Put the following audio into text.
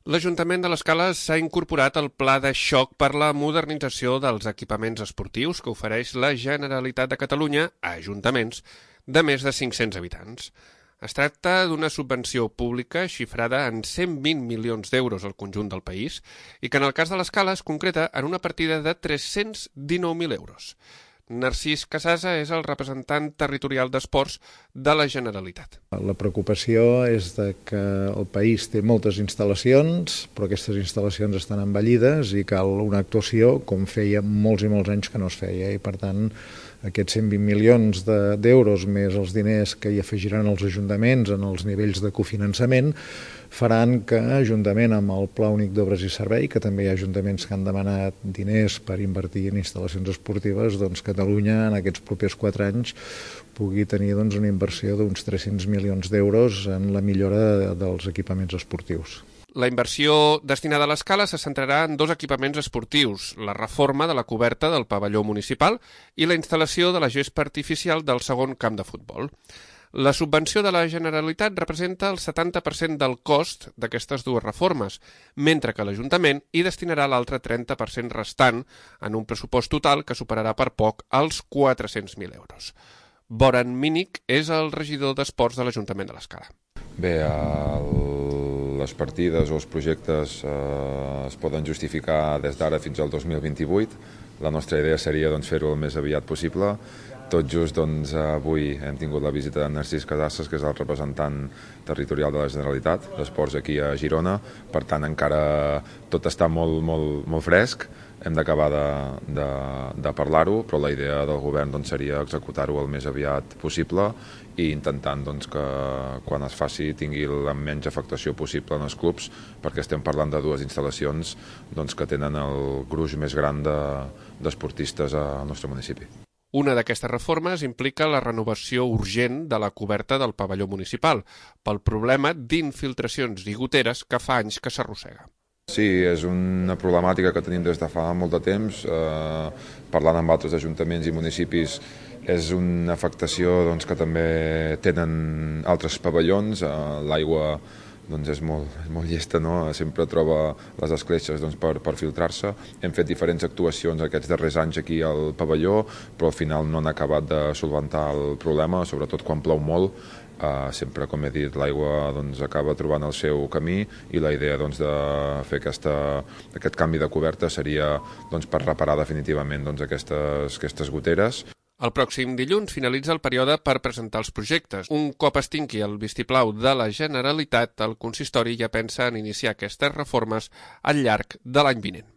L'Ajuntament de l'Escala s'ha incorporat al pla de xoc per la modernització dels equipaments esportius que ofereix la Generalitat de Catalunya a ajuntaments de més de 500 habitants. Es tracta d'una subvenció pública xifrada en 120 milions d'euros al conjunt del país i que en el cas de l'Escala es concreta en una partida de 319.000 euros. Narcís Casasa és el representant territorial d'esports de la Generalitat. La preocupació és que el país té moltes instal·lacions, però aquestes instal·lacions estan envellides i cal una actuació com feia molts i molts anys que no es feia. I per tant, aquests 120 milions d'euros més els diners que hi afegiran els ajuntaments en els nivells de cofinançament faran que Ajuntament amb el Pla Únic d'Obres i Servei, que també hi ha ajuntaments que han demanat diners per invertir en instal·lacions esportives, doncs Catalunya en aquests propers 4 anys pugui tenir una inversió d'uns 300 milions d'euros en la millora dels equipaments esportius. La inversió destinada a l'Escala se centrarà en 2 equipaments esportius, la reforma de la coberta del pavelló municipal i la instal·lació de la gespa artificial del segon camp de futbol. La subvenció de la Generalitat representa el 70% del cost d'aquestes 2 reformes, mentre que l'Ajuntament hi destinarà l'altre 30% restant en un pressupost total que superarà per poc els 400.000 euros. Boran Mínic és el regidor d'Esports de l'Ajuntament de l'Escala. Bé, les partides o els projectes es poden justificar des d'ara fins al 2028. La nostra idea seria fer-ho el més aviat possible. Tot just avui hem tingut la visita de Narcís Casasses, que és el representant territorial de la Generalitat d'Esports aquí a Girona. Per tant, encara tot està molt fresc. Hem d'acabar de parlar-ho, però la idea del govern seria executar-ho el més aviat possible i intentant que quan es faci tingui la menys afectació possible en els clubs, perquè estem parlant de 2 instal·lacions que tenen el gruix més gran d'esportistes al nostre municipi. Una d'aquestes reformes implica la renovació urgent de la coberta del pavelló municipal pel problema d'infiltracions i goteres que fa anys que s'arrossega. Sí, és una problemàtica que tenim des de fa molt de temps. Parlant amb altres ajuntaments i municipis, és una afectació que també tenen altres pavellons. L'aigua és molt llesta, no? Sempre troba les escletxes per filtrar-se. Hem fet diferents actuacions aquests darrers anys aquí al pavelló, però al final no han acabat de solventar el problema, sobretot quan plou molt. Sempre, com he dit, l'aigua acaba trobant el seu camí i la idea de fer aquest canvi de coberta seria per reparar definitivament aquestes goteres. El pròxim dilluns finalitza el període per presentar els projectes. Un cop es tingui el vistiplau de la Generalitat, el consistori ja pensa en iniciar aquestes reformes al llarg de l'any vinent.